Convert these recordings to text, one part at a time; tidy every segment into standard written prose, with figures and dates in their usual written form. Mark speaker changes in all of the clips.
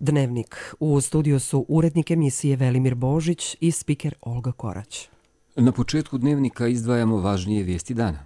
Speaker 1: Dnevnik. U studiju su urednik emisije Velimir Božić i spiker Olga Korać.
Speaker 2: Na početku Dnevnika izdvajamo važnije vijesti dana.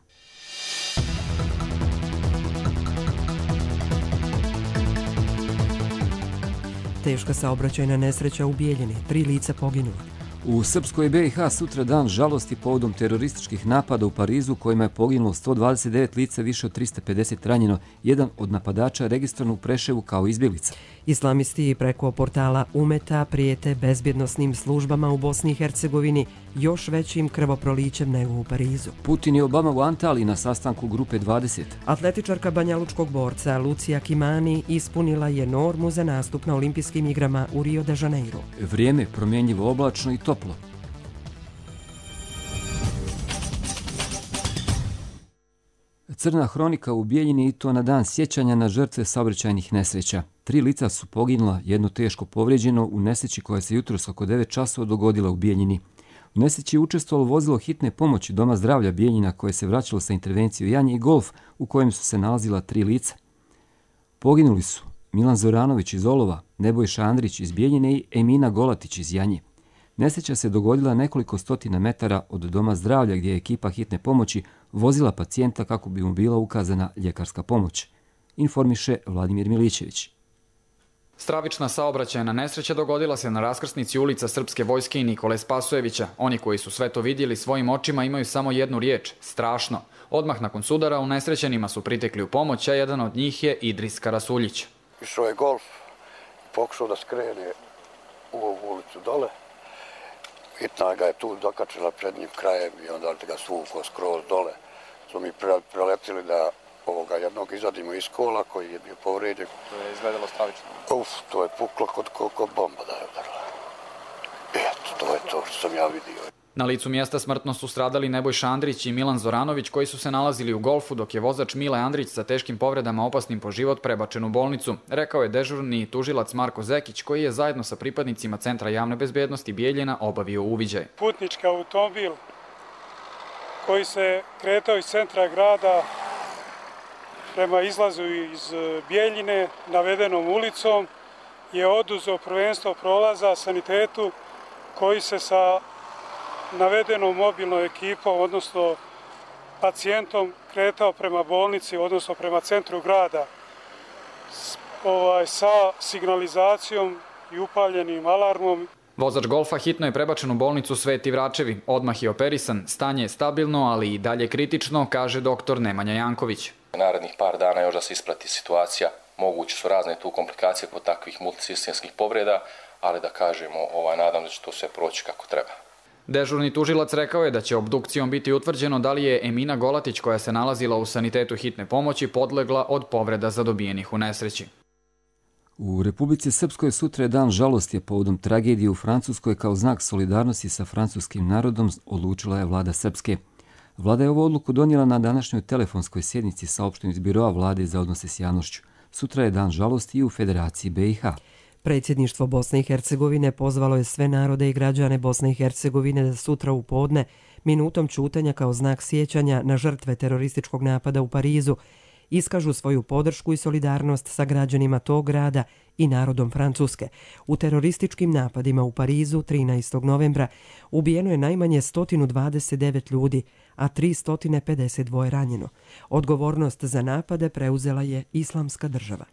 Speaker 1: Teška saobraćajna nesreća u Bijeljini. 3 lica poginula.
Speaker 2: U Srpskoj BiH sutra dan žalosti povodom terorističkih napada u Parizu kojima je poginulo 129 lica, više od 350 ranjeno. Jedan od napadača registrovan u Preševu kao izbjeglica.
Speaker 1: Islamisti preko portala Umeta prijete bezbjednosnim službama u Bosni i Hercegovini još većim krvoprolićem nego u Parizu.
Speaker 2: Putin i Obama u Antaliji na sastanku grupe 20.
Speaker 1: Atletičarka banjalučkog borca Lucija Kimani ispunila je normu za nastup na olimpijskim igrama u Rio de Janeiro.
Speaker 2: Vrijeme promjenjivo, oblačno i toplo. Crna hronika u Bijeljini i to na dan sjećanja na žrtve saobraćajnih nesreća. 3 lica su poginula, jedno teško povrijeđeno u nesreći koja se jutros oko 9 časova dogodila u Bijeljini. U nesreći je učestvovalo vozilo hitne pomoći Doma zdravlja Bijeljina koje se vraćalo sa intervencije Janje i Golf u kojem su se nalazila 3 lica. Poginuli su Milan Zoranović iz Olova, Nebojša Andrić iz Bijeljine i Emina Golatić iz Janje. Nesreća se dogodila nekoliko stotina metara od Doma zdravlja gdje je ekipa hitne pomoći vozila pacijenta kako bi mu bila ukazana ljekarska pomoć. Informiše Vladimir Milićević.
Speaker 3: Stravična saobraćajna nesreća dogodila se na raskrsnici ulica Srpske vojske i Nikole Spasojevića. Oni koji su sve to vidjeli svojim očima imaju samo jednu riječ – strašno. Odmah nakon sudara unesrećenima su pritekli u pomoć, a jedan od njih je Idris Karasuljić.
Speaker 4: Išao je Golf, pokušao da skrene u ovu ulicu dole. Hitna ga je tu dokačila prednjim krajem i onda ga svukao skroz dole. Smo mi preletili da jednog izvadimo iz kola koji je bio povrijeđen.
Speaker 5: To je izgledalo stravično.
Speaker 4: To je puklo kod bomba da je udarila. Eto, to je to što sam ja vidio.
Speaker 3: Na licu mjesta smrtno su stradali Nebojša Andrić i Milan Zoranović koji su se nalazili u Golfu dok je vozač Mile Andrić sa teškim povredama opasnim po život prebačen u bolnicu, rekao je dežurni tužilac Marko Zekić koji je zajedno sa pripadnicima Centra javne bezbjednosti Bijeljina obavio uviđaj.
Speaker 6: Putnički automobil koji se kretao iz centra grada prema izlazu iz Bijeljine navedenom ulicom je oduzeo prvenstvo prolaza sanitetu koji se sa navedenom mobilnom ekipom, odnosno pacijentom, kretao prema bolnici, odnosno prema centru grada sa signalizacijom i upaljenim alarmom.
Speaker 3: Vozač Golfa hitno je prebačen u bolnicu Sveti Vračevi. Odmah je operisan, stanje je stabilno, ali i dalje kritično, kaže doktor Nemanja Janković.
Speaker 5: Narednih par dana još da se isprati situacija. Moguće su razne tu komplikacije kod takvih multisistemskih povreda, ali da kažemo, nadam da će to sve proći kako treba.
Speaker 3: Dežurni tužilac rekao je da će obdukcijom biti utvrđeno da li je Emina Golatić, koja se nalazila u sanitetu hitne pomoći, podlegla od povreda zadobijenih u nesreći.
Speaker 2: U Republici Srpskoj sutra je dan žalosti povodom tragedije u Francuskoj. Kao znak solidarnosti sa francuskim narodom odlučila je vlada Srpske. Vlada je ovu odluku donijela na današnjoj telefonskoj sjednici saopšteno iz Biroa vlade za odnose s javnošću. Sutra je dan žalosti i u Federaciji BiH.
Speaker 1: Predsjedništvo Bosne i Hercegovine pozvalo je sve narode i građane Bosne i Hercegovine da sutra u podne minutom ćutanja kao znak sjećanja na žrtve terorističkog napada u Parizu iskažu svoju podršku i solidarnost sa građanima tog grada i narodom Francuske. U terorističkim napadima u Parizu 13. novembra ubijeno je najmanje 129 ljudi, a 352 ranjeno. Odgovornost za napade preuzela je Islamska država.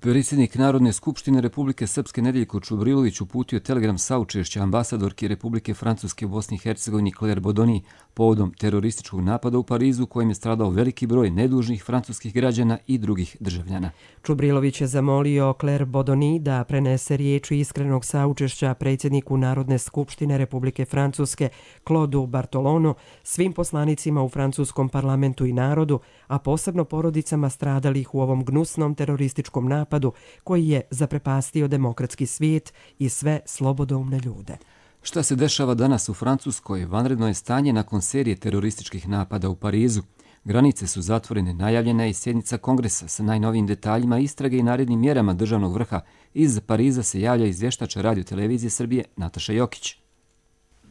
Speaker 2: Predsjednik Narodne skupštine Republike Srpske Nedeljko Čubrilović uputio telegram saučešća ambasadorki Republike Francuske u Bosni i Hercegovini Claire Bodoni povodom terorističkog napada u Parizu kojim je stradao veliki broj nedužnih francuskih građana i drugih državljana.
Speaker 1: Čubrilović je zamolio Claire Bodoni da prenese riječi iskrenog saučešća predsjedniku Narodne skupštine Republike Francuske Claude Bartolonu, svim poslanicima u francuskom parlamentu i narodu, a posebno porodicama stradalih u ovom gnusnom terorističkom napadu koji je zaprepastio demokratski svijet i sve slobodoumne ljude.
Speaker 2: Šta se dešava danas u Francuskoj? Vanredno je stanje nakon serije terorističkih napada u Parizu. Granice su zatvorene, najavljena je i sjednica kongresa sa najnovijim detaljima istrage i narednim mjerama državnog vrha. Iz Pariza se javlja izvještač Radio-televizije Srbije Nataša Jokić.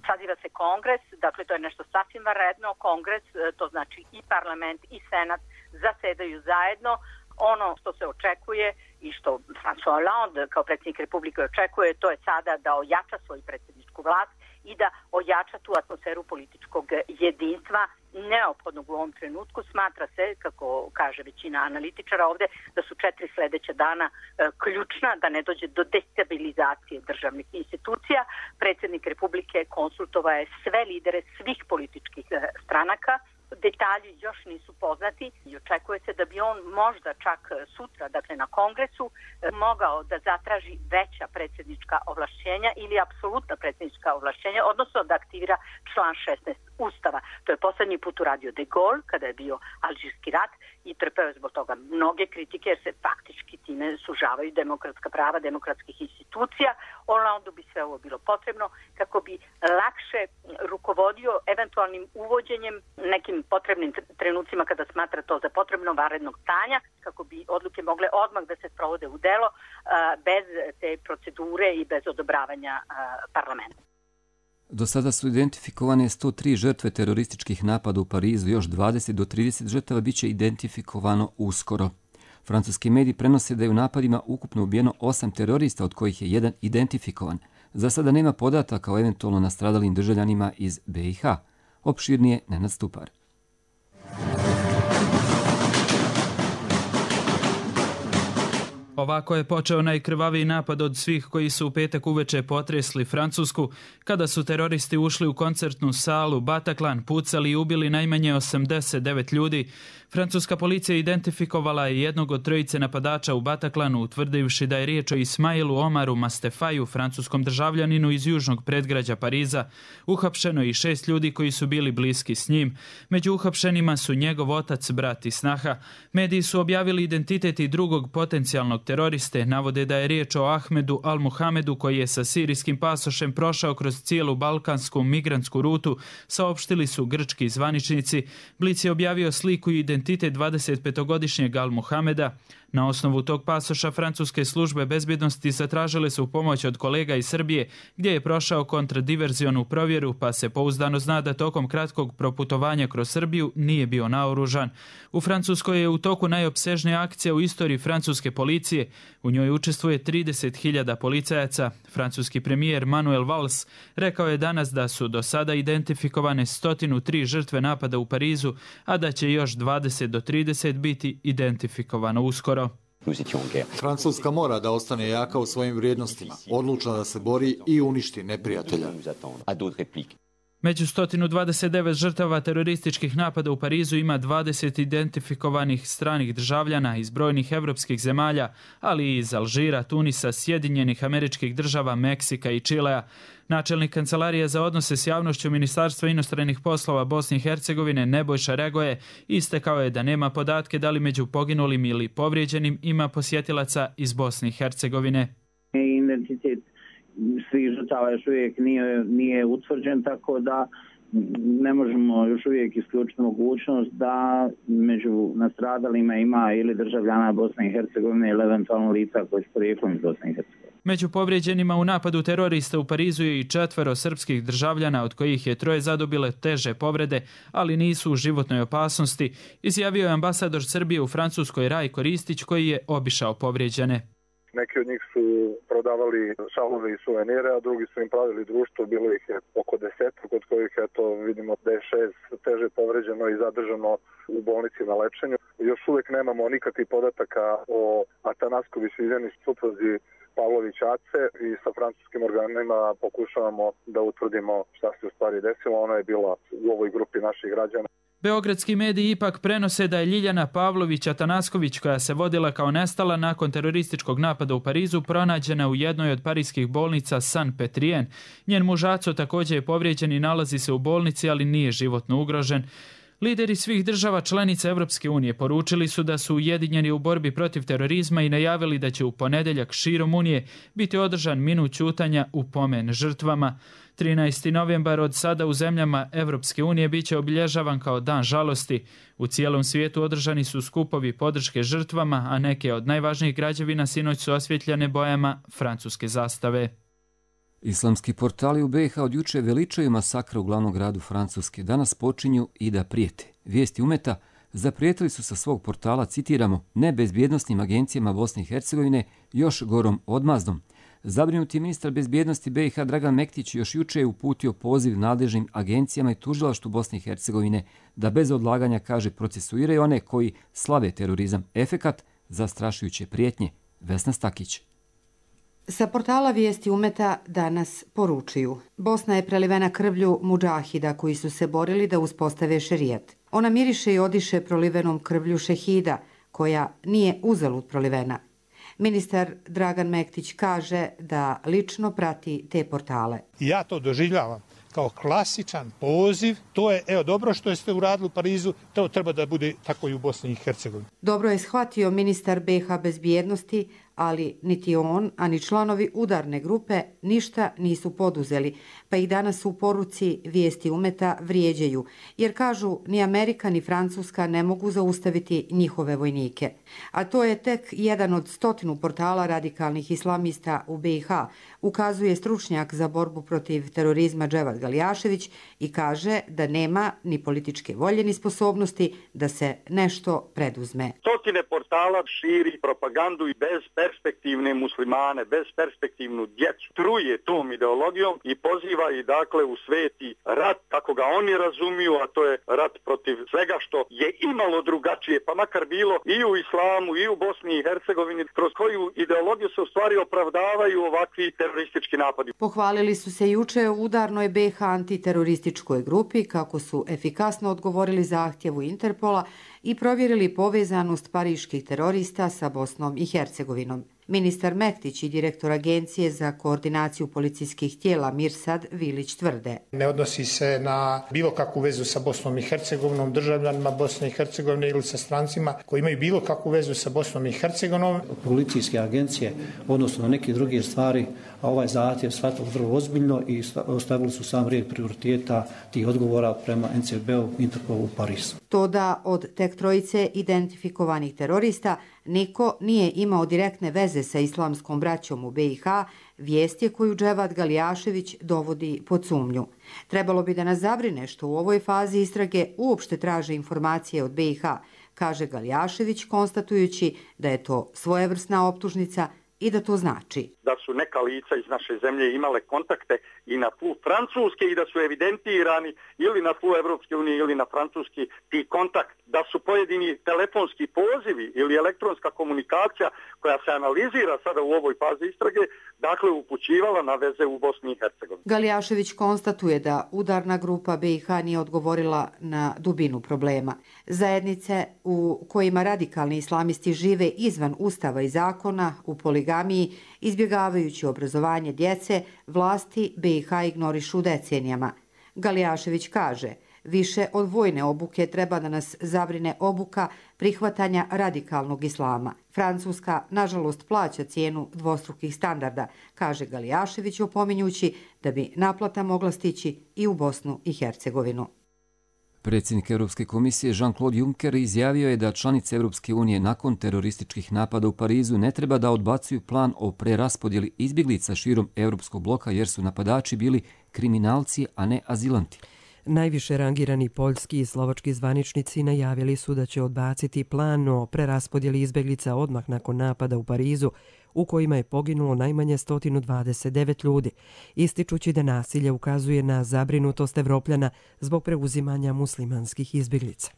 Speaker 7: Saziva se kongres, dakle to je nešto sasvim vanredno. Kongres, to znači i parlament i senat zasedaju zajedno. Ono što se očekuje i što François Hollande kao predsjednik Republike očekuje, to je sada da ojača svoju predsjedničku vlast i da ojača tu atmosferu političkog jedinstva neophodnog u ovom trenutku. Smatra se, kako kaže većina analitičara ovde, da su 4 sledeća dana ključna, da ne dođe do destabilizacije državnih institucija. Predsjednik Republike konsultovao je sve lidere svih političkih stranaka. Detalji još nisu poznati i očekuje se da bi on možda čak sutra, dakle na kongresu, mogao da zatraži veća predsjednička ovlašćenja ili apsolutna predsjednička ovlašćenja, odnosno da aktivira član 16 Ustava. To je posljednji put uradio De Gaulle kada je bio Alžirski rat i trpeo je zbog toga mnoge kritike jer se faktički time sužavaju demokratska prava demokratskih institucija. Hollandu bi sve ovo bilo potrebno kako bi lakše rukovodio eventualnim uvođenjem nekim potrebnim trenucima kada smatra to za potrebno vanrednog stanja, kako bi odluke mogle odmah da se sprovode u delo bez te procedure i bez odobravanja parlamenta.
Speaker 2: Do sada su identifikovane 103 žrtve terorističkih napada u Parizu, još 20 do 30 žrtava bit će identifikovano uskoro. Francuski mediji prenose da je u napadima ukupno ubijeno 8 terorista, od kojih je jedan identifikovan. Za sada nema podataka o eventualno nastradalim državljanima iz BiH. Opširnije Nenad Stupar.
Speaker 8: Ovako je počeo najkrvaviji napad od svih koji su u petak uveče potresli Francusku, kada su teroristi ušli u koncertnu salu Bataclan, pucali i ubili najmanje 89 ljudi. Francuska policija identifikovala je jednog od trojice napadača u Bataclanu, utvrdivši da je riječ o Ismailu Omaru Mastefaju, francuskom državljaninu iz južnog predgrađa Pariza. Uhapšeno je i 6 ljudi koji su bili bliski s njim. Među uhapšenima su njegov otac, brat i snaha. Mediji su objavili identitet i drugog potencijalnog teroriste, navode da je riječ o Ahmedu Al-Muhamedu koji je sa sirijskim pasošem prošao kroz cijelu balkansku migrantsku rutu, saopštili su grčki zvaničnici. Blic je objavio sliku i identitet 25-godišnjeg Al-Muhameda. Na osnovu tog pasoša francuske službe bezbjednosti zatražile su pomoć od kolega iz Srbije, gdje je prošao kontradiverzionu provjeru, pa se pouzdano zna da tokom kratkog proputovanja kroz Srbiju nije bio naoružan. U Francuskoj je u toku najopsežnija akcija u istoriji francuske policije. U njoj učestvuje 30.000 policajaca. Francuski premijer Manuel Valls rekao je danas da su do sada identifikovane 103 žrtve napada u Parizu, a da će još 20 do 30 biti identifikovano uskoro.
Speaker 9: Francuska mora da ostane jaka u svojim vrijednostima, odlučna da se bori i uništi neprijatelja.
Speaker 8: Među 129 žrtava terorističkih napada u Parizu ima 20 identifikovanih stranih državljana iz brojnih evropskih zemalja, ali i iz Alžira, Tunisa, Sjedinjenih Američkih Država, Meksika i Čilea. Načelnik Kancelarije za odnose s javnošću Ministarstva inostranih poslova Bosne i Hercegovine Nebojša Regoje istakao je da nema podatke da li među poginulim ili povrijeđenim ima posjetilaca iz Bosne i Hercegovine.
Speaker 10: Identitet svih žrtava još uvijek nije utvrđen, tako da ne možemo još uvijek isključiti mogućnost da među nastradalima ima ili državljana Bosne i Hercegovine ili eventualno lica koji su porijeklom iz Bosne i Hercegovine.
Speaker 8: Među povrijeđenima u napadu terorista u Parizu je i 4 srpskih državljana, od kojih je 3 zadobile teže povrede, ali nisu u životnoj opasnosti, izjavio je ambasador Srbije u Francuskoj Rajko Ristić, koji je obišao povrijeđene.
Speaker 11: Neki od njih su prodavali šalove i suvenire, a drugi su im pravili društvo, bilo ih je oko 10, od kojih vidimo da je 6 teže povređeno i zadržano u bolnici na lečenju. Još uvijek nemamo nikakvih podataka o Atanaskovi Sviljani supruzi Pavlović Ace i sa francuskim organima pokušavamo da utvrdimo šta se u stvari desilo. Ona je bila u ovoj grupi naših građana.
Speaker 8: Beogradski mediji ipak prenose da je Ljiljana Pavlović Atanasković, koja se vodila kao nestala nakon terorističkog napada u Parizu, pronađena u jednoj od parijskih bolnica Saint-Pétrien. Njen muž Aco također je povrijeđen i nalazi se u bolnici, ali nije životno ugrožen. Lideri svih država članica Evropske unije poručili su da su ujedinjeni u borbi protiv terorizma i najavili da će u ponedjeljak širom Unije biti održan minut ćutanja u pomen žrtvama. 13. novembar od sada u zemljama Evropske unije biće obilježavan kao dan žalosti. U cijelom svijetu održani su skupovi podrške žrtvama, a neke od najvažnijih građevina sinoć su osvjetljene bojama francuske zastave.
Speaker 2: Islamski portali u BiH od juče veličaju masakra u glavnom gradu Francuske. Danas počinju i da prijete. Vijesti umeta zaprijetili su sa svog portala, citiramo, nebezbjednosnim agencijama Bosne i Hercegovine još gorom odmazdom. Zabrinuti ministar bezbjednosti BiH Dragan Mektić još juče je uputio poziv nadležnim agencijama i tužilaštvu Bosne i Hercegovine da bez odlaganja, kaže, procesuiraju one koji slave terorizam. Efekat zastrašujuće prijetnje. Vesna Stakić.
Speaker 12: Sa portala Vijesti Umeta danas poručuju: Bosna je prelivena krvlju mudžahida koji su se borili da uspostave šerijat. Ona miriše i odiše prolivenom krvlju šehida, koja nije uzalud prolivena. Ministar Dragan Mektić kaže da lično prati te portale.
Speaker 13: Ja to doživljavam kao klasičan poziv. To je, dobro što ste uradili u Parizu, to treba da bude tako i u Bosni i Hercegovini.
Speaker 12: Dobro je shvatio ministar BiH bezbjednosti, ali niti on, ani članovi udarne grupe ništa nisu poduzeli, pa ih danas u poruci Vijesti Umeta vrijeđaju, jer kažu ni Amerika ni Francuska ne mogu zaustaviti njihove vojnike. A to je tek jedan od 100 portala radikalnih islamista u BiH, ukazuje stručnjak za borbu protiv terorizma Dževad Galjašević i kaže da nema ni političke volje ni sposobnosti da se nešto preduzme.
Speaker 14: 100 portala širi propagandu i bez perspektivne muslimane, bez perspektivnu djecu, truje tom ideologijom i poziva i dakle u sveti rat kako ga oni razumiju, a to je rat protiv svega što je imalo drugačije, pa makar bilo i u islamu i u Bosni i Hercegovini, kroz koju ideologiju se u stvari opravdavaju ovakvi teroristički napadi.
Speaker 12: Pohvalili su se juče u udarnoj BiH antiterorističkoj grupi kako su efikasno odgovorili zahtjevu Interpola i provjerili povezanost pariških terorista sa Bosnom i Hercegovinom. Ministar Mektić i direktor Agencije za koordinaciju policijskih tijela Mirsad Vilić tvrde:
Speaker 13: Ne odnosi se na bilo kakvu vezu sa Bosnom i Hercegovinom, državljanima Bosne i Hercegovine ili sa strancima koji imaju bilo kakvu vezu sa Bosnom i Hercegovinom.
Speaker 15: Policijske agencije, odnosno na neke druge stvari, a ovaj zahtjev shvatili vrlo ozbiljno i ostavili su sam red prioriteta tih odgovora prema NCB-u, Interpolu u Parizu.
Speaker 12: To da od tek trojice identifikovanih terorista niko nije imao direktne veze sa islamskom braćom u BiH, vijest je koju Dževad Galjašević dovodi pod sumnju. Trebalo bi da nas zabrine što u ovoj fazi istrage uopšte traže informacije od BiH, kaže Galjašević, konstatujući da je to svojevrsna optužnica i da to znači
Speaker 14: da su neka lica iz naše zemlje imale kontakte i na tlu Francuske i da su evidentirani ili na tlu Evropske unije ili na francuski ti kontakt, da su pojedini telefonski pozivi ili elektronska komunikacija koja se analizira sada u ovoj fazi istrage, dakle upućivala na veze u Bosni i Hercegovini.
Speaker 12: Galjašević konstatuje da udarna grupa BiH nije odgovorila na dubinu problema. Zajednice u kojima radikalni islamisti žive izvan ustava i zakona, u poligamiji, izbjegavajući obrazovanje djece, vlasti BiH ignorišu decenijama. Galjašević kaže: više od vojne obuke treba da nas zabrine obuka prihvatanja radikalnog islama. Francuska, nažalost, plaća cijenu dvostrukih standarda, kaže Galjašević, opominjući da bi naplata mogla stići i u Bosnu i Hercegovinu.
Speaker 2: Predsjednik Europske komisije Jean-Claude Juncker izjavio je da članice Europske unije nakon terorističkih napada u Parizu ne treba da odbacuju plan o preraspodjeli izbjeglica širom europskog bloka jer su napadači bili kriminalci, a ne azilanti.
Speaker 1: Najviše rangirani poljski i slovački zvaničnici najavili su da će odbaciti plan o preraspodjeli izbjeglica odmah nakon napada u Parizu, u kojima je poginulo najmanje 129 ljudi, ističući da nasilje ukazuje na zabrinutost Evropljana zbog preuzimanja muslimanskih izbjeglica.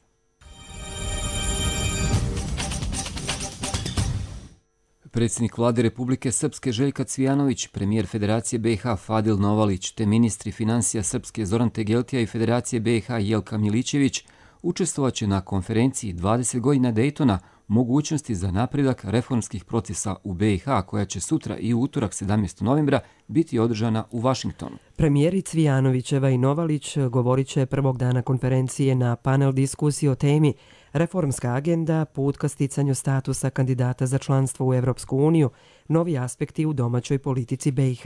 Speaker 2: Predsjednik vlade Republike Srpske Željka Cvijanović, premijer Federacije BiH Fadil Novalić te ministri financija Srpske Zoran Tegeltija i Federacije BiH Jelka Milićević učestvovaće na konferenciji 20 godina Daytona mogućnosti za napredak reformskih procesa u BiH koja će sutra i u utorak 17. novembra biti održana u Vašingtonu.
Speaker 1: Premijeri Cvijanovićeva i Novalić govorit će prvog dana konferencije na panel diskusiji o temi Reformska agenda, put ka sticanju statusa kandidata za članstvo u Evropsku uniju, novi aspekti u domaćoj politici BiH.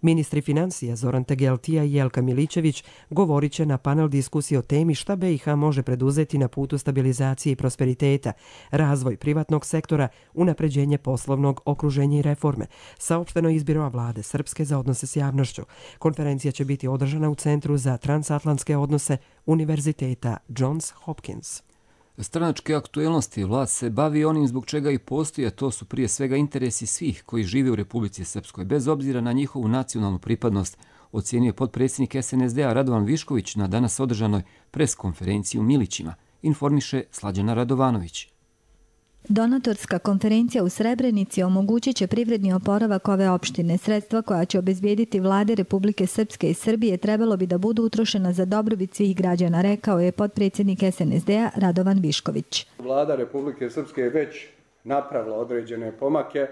Speaker 1: Ministri financija Zoran Tegeltija i Jelka Milićević govorit će na panel diskusiji o temi šta BiH može preduzeti na putu stabilizacije i prosperiteta, razvoj privatnog sektora, unapređenje poslovnog okruženja i reforme, saopšteno iz Biroa vlade Srpske za odnose s javnošću. Konferencija će biti održana u Centru za transatlantske odnose Univerziteta Johns Hopkins.
Speaker 2: Stranačke aktuelnosti vlast se bavi onim zbog čega i postoji, a to su prije svega interesi svih koji žive u Republici Srpskoj, bez obzira na njihovu nacionalnu pripadnost, ocijenio je potpredsjednik SNSD-a Radovan Višković na danas održanoj preskonferenciji u Milićima, informiše Slađana Radovanović.
Speaker 16: Donatorska konferencija u Srebrenici omogućit će privredni oporavak ove opštine. Sredstva koja će obezbijediti vlade Republike Srpske i Srbije trebalo bi da budu utrošena za dobrobit svih građana, rekao je potpredsjednik SNSD-a Radovan Višković.
Speaker 17: Vlada Republike Srpske je već napravila određene pomake.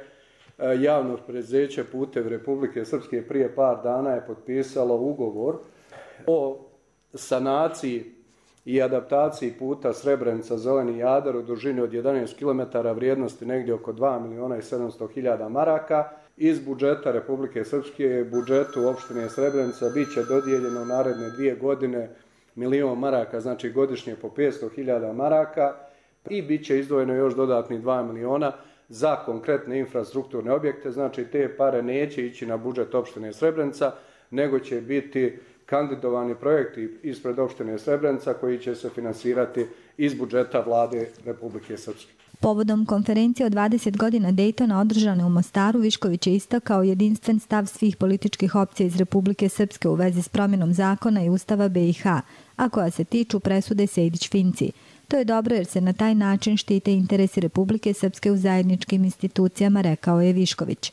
Speaker 17: Javno preduzeće Putevi Republike Srpske prije par dana je potpisalo ugovor o sanaciji i adaptaciji puta Srebrenica-Zeleni Jadar u dužini od 11 km vrijednosti negdje oko 2.700.000 maraka. Iz budžeta Republike Srpske budžetu opštine Srebrenica bit će dodijeljeno naredne 2 godine 1.000.000 maraka, znači godišnje po 500.000 maraka i bit će izdvojeno još dodatnih 2 miliona za konkretne infrastrukturne objekte, znači te pare neće ići na budžet opštine Srebrenica, nego će biti kandidovani projekti ispred opštine Srebrenica koji će se finansirati iz budžeta vlade Republike Srpske.
Speaker 16: Povodom konferencije od 20 godina Dejtona održane u Mostaru, Višković je istakao jedinstven stav svih političkih opcija iz Republike Srpske u vezi s promjenom zakona i Ustava BiH, a koja se tiču presude Sejdić-Finci. To je dobro jer se na taj način štite interesi Republike Srpske u zajedničkim institucijama, rekao je Višković.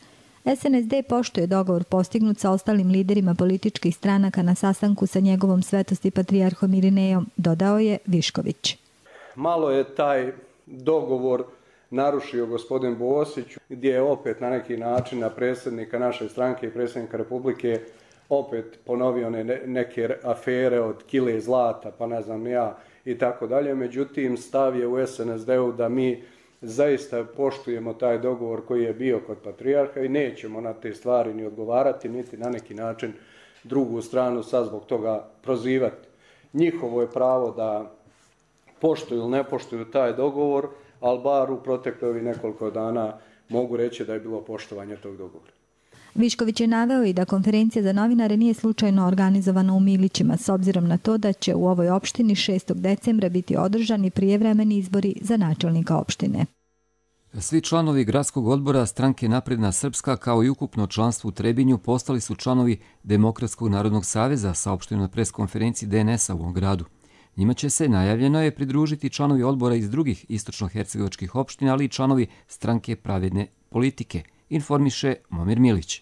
Speaker 16: SNSD poštuje dogovor postignut sa ostalim liderima političkih stranaka na sastanku sa njegovom svetosti patrijarhom Irinejom, dodao je Višković.
Speaker 17: Malo je taj dogovor narušio gospodin Bosić, gdje je opet na neki način na predsjednika naše stranke i predsjednika Republike opet ponovio neke afere od kile zlata, pa ne znam ja i tako dalje. Međutim, stav je u SNSD-u da mi zaista poštujemo taj dogovor koji je bio kod patrijarha i nećemo na te stvari ni odgovarati, niti na neki način drugu stranu sad zbog toga prozivati. Njihovo je pravo da poštuju ili ne poštuju taj dogovor, ali bar u proteklih nekoliko dana mogu reći da je bilo poštovanje tog dogovora.
Speaker 16: Višković je naveo i da konferencija za novinare nije slučajno organizovana u Milićima, s obzirom na to da će u ovoj opštini 6. decembra biti održani prijevremeni izbori za načelnika opštine.
Speaker 2: Svi članovi gradskog odbora stranke Napredna Srpska kao i ukupno članstvo u Trebinju postali su članovi Demokratskog narodnog saveza, saopšteno na preskonferenciji DNS-a u ovom gradu. Njima će se, najavljeno je, pridružiti članovi odbora iz drugih istočno-hercegovačkih opština, ali i članovi stranke Pravedne politike, informiše Momir Milić.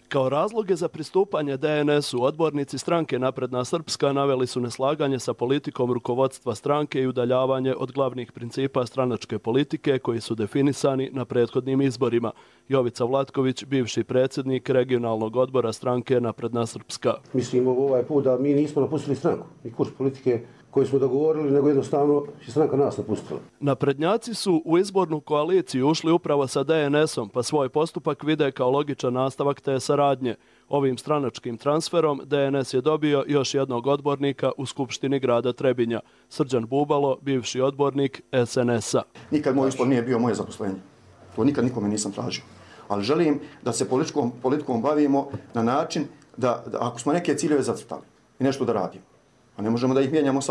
Speaker 18: Kao razloge za pristupanje DNS-u odbornici stranke Napredna Srpska naveli su neslaganje sa politikom rukovodstva stranke i udaljavanje od glavnih principa stranačke politike koji su definisani na prethodnim izborima. Jovica Vlatković, bivši predsjednik regionalnog odbora stranke Napredna Srpska.
Speaker 19: Mislim ovaj put da mi nismo napustili stranku i kurs politike koji smo dogovorili, nego jednostavno je stranka nas napustila.
Speaker 18: Naprednjaci su u izbornu koaliciju ušli upravo sa DNS-om, pa svoj postupak vide kao logičan nastavak te saradnje. Ovim stranačkim transferom DNS je dobio još jednog odbornika u Skupštini grada Trebinja. Srđan Bubalo, bivši odbornik SNS-a.
Speaker 20: Nikad moj izbor nije bio moje zaposlenje. To nikad nikome nisam tražio. Ali želim da se politikom bavimo na način da ako smo neke ciljeve zacrtali i nešto da radimo, a ne možemo da ih mijenjamo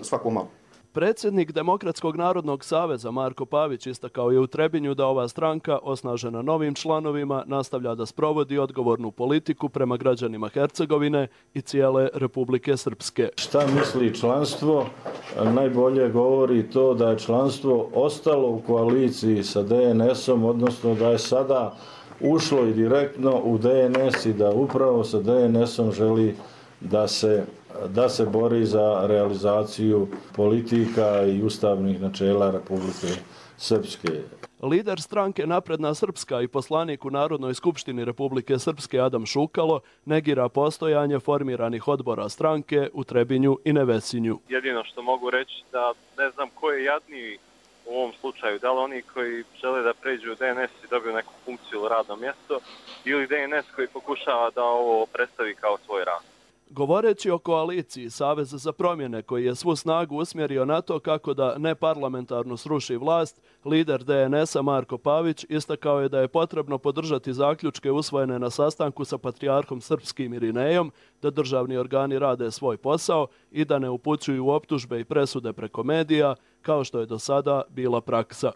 Speaker 20: svako malo.
Speaker 18: Predsjednik Demokratskog narodnog saveza Marko Pavić istakao je u Trebinju da ova stranka, osnažena novim članovima, nastavlja da sprovodi odgovornu politiku prema građanima Hercegovine i cijele Republike Srpske.
Speaker 21: Šta misli članstvo? Najbolje govori to da je članstvo ostalo u koaliciji sa DNS-om, odnosno da je sada ušlo i direktno u DNS i da upravo sa DNS-om želi da se bori za realizaciju politika i ustavnih načela Republike Srpske.
Speaker 18: Lider stranke Napredna Srpska i poslanik u Narodnoj skupštini Republike Srpske Adam Šukalo negira postojanje formiranih odbora stranke u Trebinju i Nevesinju.
Speaker 22: Jedino što mogu reći da ne znam ko je jadniji u ovom slučaju, da li oni koji žele da pređu u DNS i dobiju neku funkciju ili radno mjesto ili DNS koji pokušava da ovo predstavi kao svoj rad.
Speaker 18: Govoreći o koaliciji Saveza za promjene koji je svu snagu usmjerio na to kako da neparlamentarno sruši vlast, lider DNS-a Marko Pavić istakao je da je potrebno podržati zaključke usvojene na sastanku sa patrijarhom srpskim Irinejom, da državni organi rade svoj posao i da ne upućuju optužbe i presude preko medija, kao što je do sada bila praksa.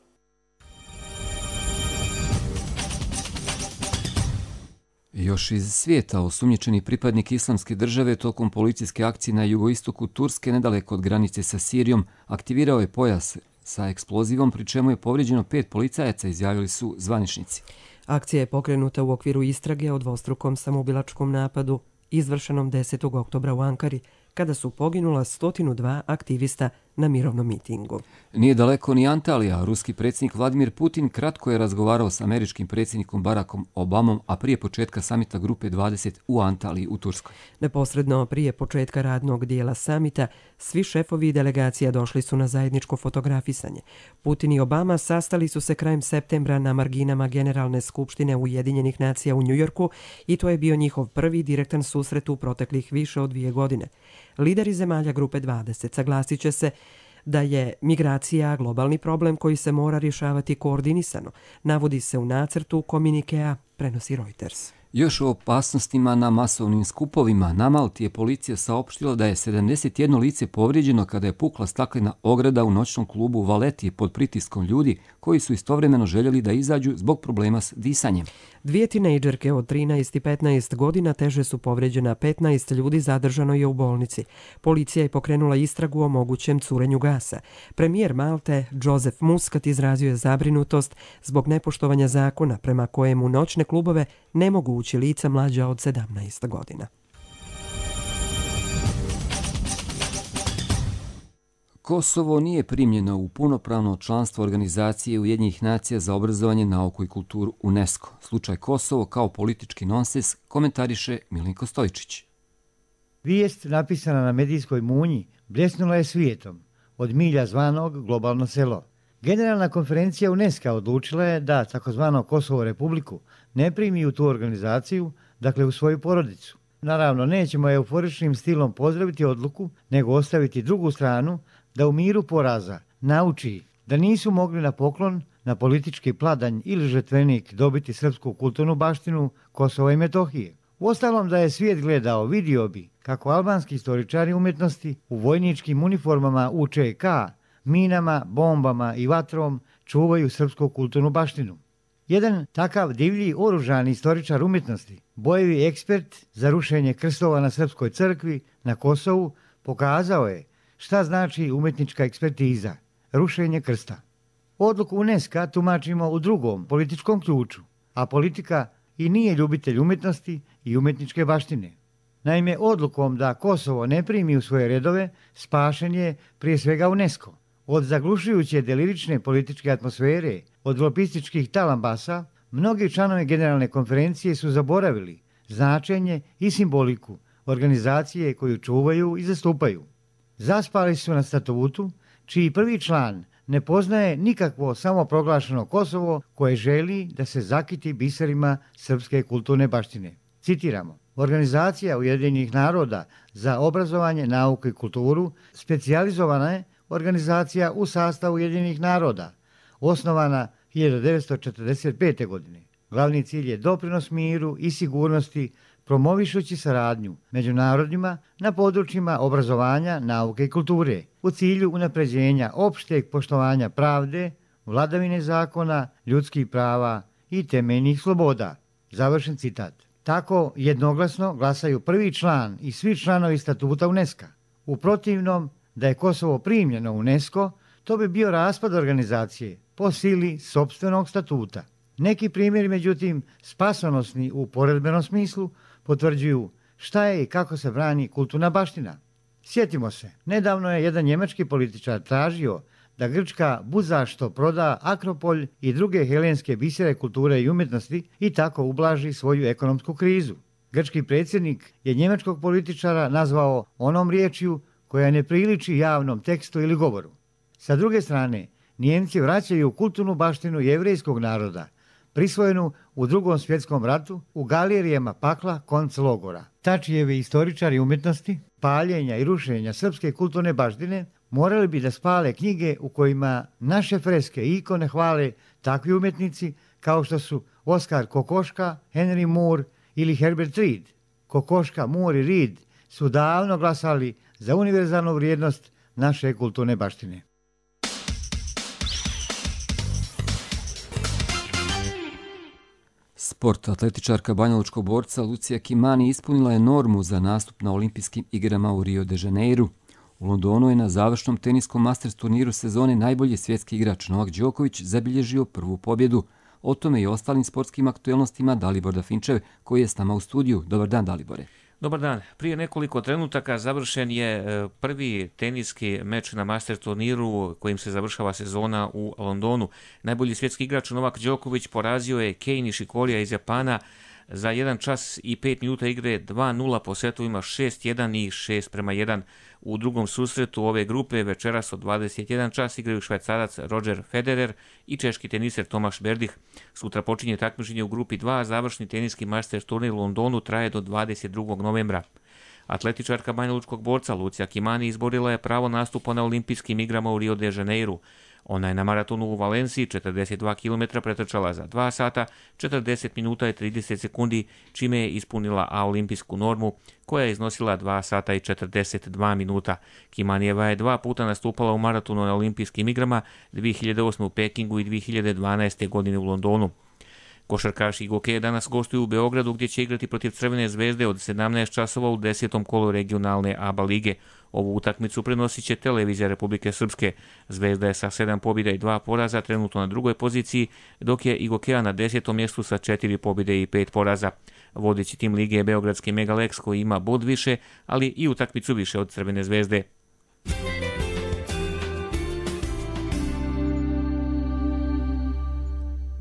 Speaker 2: Još iz svijeta osumnjičeni pripadnik Islamske države tokom policijske akcije na jugoistoku Turske nedaleko od granice sa Sirijom aktivirao je pojas sa eksplozivom, pri čemu je povrijeđeno 5 policajaca, izjavili su zvaničnici.
Speaker 1: Akcija je pokrenuta u okviru istrage o dvostrukom samoubilačkom napadu izvršenom 10. oktobra u Ankari, kada su poginula 102 aktivista na mirovnom mitingu.
Speaker 2: Nije daleko ni Antalija. Ruski predsjednik Vladimir Putin kratko je razgovarao s američkim predsjednikom Barackom Obamom, a prije početka samita Grupe 20 u Antaliji u Turskoj.
Speaker 1: Neposredno prije početka radnog dijela samita, svi šefovi delegacija došli su na zajedničko fotografisanje. Putin i Obama sastali su se krajem septembra na marginama Generalne skupštine Ujedinjenih nacija u Njujorku i to je bio njihov prvi direktan susret u proteklih više od 2 godine. Lideri zemalja Grupe 20 saglasit će se da je migracija globalni problem koji se mora rješavati koordinisano, navodi se u nacrtu komunikea, prenosi Reuters.
Speaker 2: Još o opasnostima na masovnim skupovima. Na Malti je policija saopštila da je 71 lice povrijeđeno kada je pukla staklena ograda u noćnom klubu Valeti pod pritiskom ljudi koji su istovremeno željeli da izađu zbog problema s disanjem.
Speaker 1: 2 tinejdžerke od 13 i 15 godina teže su povrijeđena, 15 ljudi zadržano je u bolnici. Policija je pokrenula istragu o mogućem curenju gasa. Premijer Malte, Joseph Muscat, izrazio je zabrinutost zbog nepoštovanja zakona prema kojemu noćne klubove ne mogu ući lica mlađa od 17 godina.
Speaker 2: Kosovo nije primljeno u punopravno članstvo Organizacije Ujedinjenih nacija za obrazovanje, nauku i kulturu UNESCO. Slučaj Kosovo kao politički nonsens komentariše Milinko Stojčić.
Speaker 4: Vijest napisana na medijskoj munji bljesnula je svijetom, od milja zvanog globalno selo. Generalna konferencija UNESCO odlučila je da takozvano Kosovo Republiku ne primi u tu organizaciju, dakle u svoju porodicu. Naravno, nećemo euforičnim stilom pozdraviti odluku, nego ostaviti drugu stranu da u miru poraza nauči da nisu mogli na poklon, na politički pladanj ili žetvenik dobiti srpsku kulturnu baštinu Kosova i Metohije. Uostalom, da je svijet gledao, vidio bi kako albanski istoričari umjetnosti u vojničkim uniformama UČK, minama, bombama i vatrom čuvaju srpsku kulturnu baštinu. Jedan takav divlji oružani istoričar umjetnosti, bojevi ekspert za rušenje krstova na Srpskoj crkvi na Kosovu, pokazao je šta znači umjetnička ekspertiza, rušenje krsta. Odluku UNESCO tumačimo u drugom političkom ključu, a politika i nije ljubitelj umjetnosti i umjetničke baštine. Naime, odlukom da Kosovo ne primi u svoje redove spašen je prije svega UNESCO. Od zaglušujuće delirične političke atmosfere, od lobističkih talambasa, mnogi članovi Generalne konferencije su zaboravili značenje i simboliku organizacije koju čuvaju i zastupaju. Zaspali su na statutu, čiji prvi član ne poznaje nikakvo samoproglašeno Kosovo koje želi da se zakiti biserima srpske kulturne baštine. Citiramo: Organizacija Ujedinjenih naroda za obrazovanje, nauku i kulturu specijalizovana je organizacija u sastavu Ujedinjenih naroda, osnovana 1945. godine. Glavni cilj je doprinos miru i sigurnosti, promovišući saradnju među narodima na područjima obrazovanja, nauke i kulture, u cilju unapređenja opšteg poštovanja pravde, vladavine zakona, ljudskih prava i temeljnih sloboda. Završen citat. Tako jednoglasno glasaju prvi član i svi članovi statuta UNESCO. U protivnom, da je Kosovo primljeno u UNESCO, to bi bio raspad organizacije po sili sopstvenog statuta. Neki primjeri, međutim, spasonosni u poredbenom smislu, potvrđuju šta je i kako se brani kulturna baština. Sjetimo se, nedavno je jedan njemački političar tražio da Grčka budzašto proda Akropolj i druge helenske bisere kulture i umjetnosti i tako ublaži svoju ekonomsku krizu. Grčki predsjednik je njemačkog političara nazvao onom riječju koja ne priliči javnom tekstu ili govoru. Sa druge strane, Nijemci vraćaju kulturnu baštinu jevrejskog naroda, prisvojenu u Drugom svjetskom ratu u galerijama pakla konclogora. Tačijevi istoričari umjetnosti, paljenja i rušenja srpske kulturne baštine morali bi da spale knjige u kojima naše freske i ikone hvale takvi umjetnici kao što su Oskar Kokoška, Henry Moore ili Herbert Reed. Kokoška, Moore i Reed su davno glasali za univerzalnu vrijednost naše kulturne baštine.
Speaker 2: Sport. Atletičarka banjalučkog borca Lucija Kimani ispunila je normu za nastup na olimpijskim igrama u Rio de Janeiru. U Londonu je na završnom teniskom Masters turniru sezone najbolji svjetski igrač Novak Đoković zabilježio prvu pobjedu. O tome i ostalim sportskim aktuelnostima Dalibor Dafinčev, koji je s nama u studiju. Dobar dan, Dalibore.
Speaker 5: Dobar dan. Prije nekoliko trenutaka završen je prvi teniski meč na Masters turniru kojim se završava sezona u Londonu. Najbolji svjetski igrač Novak Đoković porazio je Kei Nishikorija iz Japana za 1 čas i 5 minuta igre 2-0 po setovima 6-1 i 6-1. U drugom susretu ove grupe večeras od 21 čas igraju Švajcarac Roger Federer i češki teniser Tomaš Berdih. Sutra počinje takmičenje u grupi 2, završni teniski Masters turnir u Londonu traje do 22. novembra. Atletičarka banjalučkog borca Lucija Kimani izborila je pravo nastupa na olimpijskim igrama u Rio de Janeiru. Ona je na maratonu u Valenciji 42 km pretrčala za 2 sata, 40 minuta i 30 sekundi, čime je ispunila olimpijsku normu koja je iznosila 2 sata i 42 minuta. Kimanijeva je 2 puta nastupala u maratonu na olimpijskim igrama, 2008. u Pekingu i 2012. godine u Londonu. Košarkaši Igoke danas gostuju u Beogradu gdje će igrati protiv Crvene zvezde od 17 časova u 10. kolu regionalne ABA lige. Ovu utakmicu prenosit će televizija Republike Srpske. Zvezda je sa 7 pobjeda i 2 poraza trenutno na drugoj poziciji, dok je Igokea na 10. mjestu sa 4 pobjede i 5 poraza. Vodeći tim lige je beogradski Megalex koji ima bod više, ali i utakmicu više od Crvene zvezde.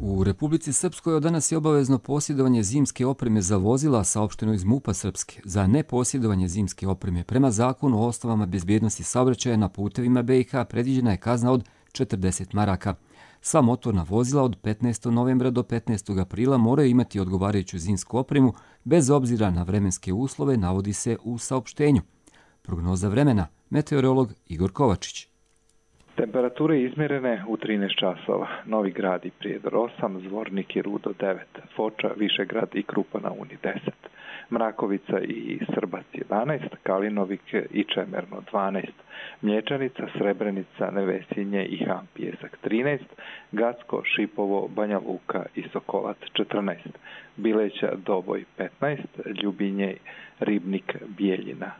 Speaker 2: U Republici Srpskoj od danas je obavezno posjedovanje zimske opreme za vozila, saopšteno iz MUP-a Srpske. Za neposjedovanje zimske opreme prema zakonu o osnovama bezbjednosti saobraćaja na putevima BiH predviđena je kazna od 40 maraka. Sva motorna vozila od 15. novembra do 15. aprila moraju imati odgovarajuću zimsku opremu bez obzira na vremenske uslove, navodi se u saopštenju. Prognoza vremena, meteorolog Igor Kovačić.
Speaker 6: Temperature izmjerene u 13 časova. Novi Grad i Prijedor 8, Zvornik i Rudo 9, Foča, Višegrad i Krupa na Uni 10, Mrakovica i Srbac 11, Kalinovik i Čemerno 12, Mlječanica, Srebrenica, Nevesinje i Han Pijesak 13, Gacko, Šipovo, Banja Luka i Sokolac 14, Bileća, Doboj 15, Ljubinje, Ribnik, Bijeljina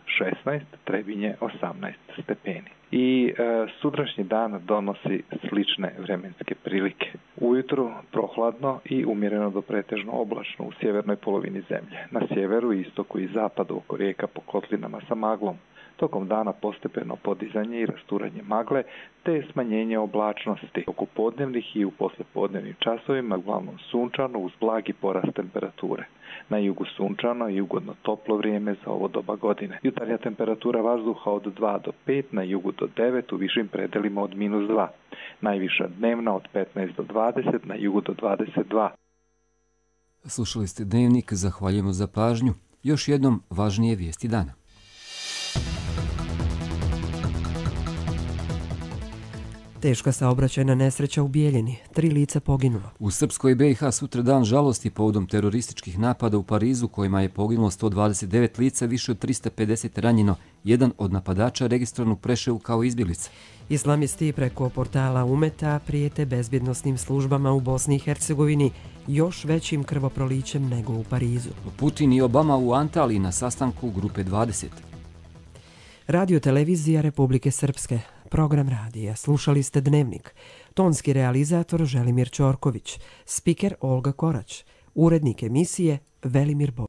Speaker 6: 16, Trebinje 18 stepeni. I sutrašnji dan donosi slične vremenske prilike. Ujutru prohladno i umjereno do pretežno oblačno u sjevernoj polovini zemlje. Na sjeveru, istoku i zapadu oko rijeka po kotlinama sa maglom. Tokom dana postepeno podizanje i rasturanje magle te smanjenje oblačnosti. Oko podnevnih i u poslijepodnevnim časovima uglavnom sunčano uz blagi porast temperature. Na jugu sunčano i ugodno toplo vrijeme za ovo doba godine. Jutarnja temperatura vazduha od 2 do 5, na jugu do 9, u višim predelima od -2. Najviša dnevna od 15 do 20, na jugu do 22.
Speaker 2: Slušali ste Dnevnik, zahvaljujemo za pažnju. Još jednom važnije vijesti dana.
Speaker 1: Teška saobraćajna nesreća u Bijeljini. 3 lica poginula.
Speaker 2: U Srpskoj BiH sutra dan žalosti povodom terorističkih napada u Parizu kojima je poginulo 129 lica, više od 350 ranjeno. Jedan od napadača registrovan u Preševu kao izbjeglica.
Speaker 1: Islamisti preko portala Umeta prijete bezbjednosnim službama u Bosni i Hercegovini još većim krvoprolićem nego u Parizu.
Speaker 2: Putin i Obama u Antaliji na sastanku Grupe 20.
Speaker 1: Radio televizija Republike Srpske. Program radija. Slušali ste Dnevnik. Tonski realizator Želimir Ćorković. Spiker Olga Korać. Urednik emisije Velimir Bo.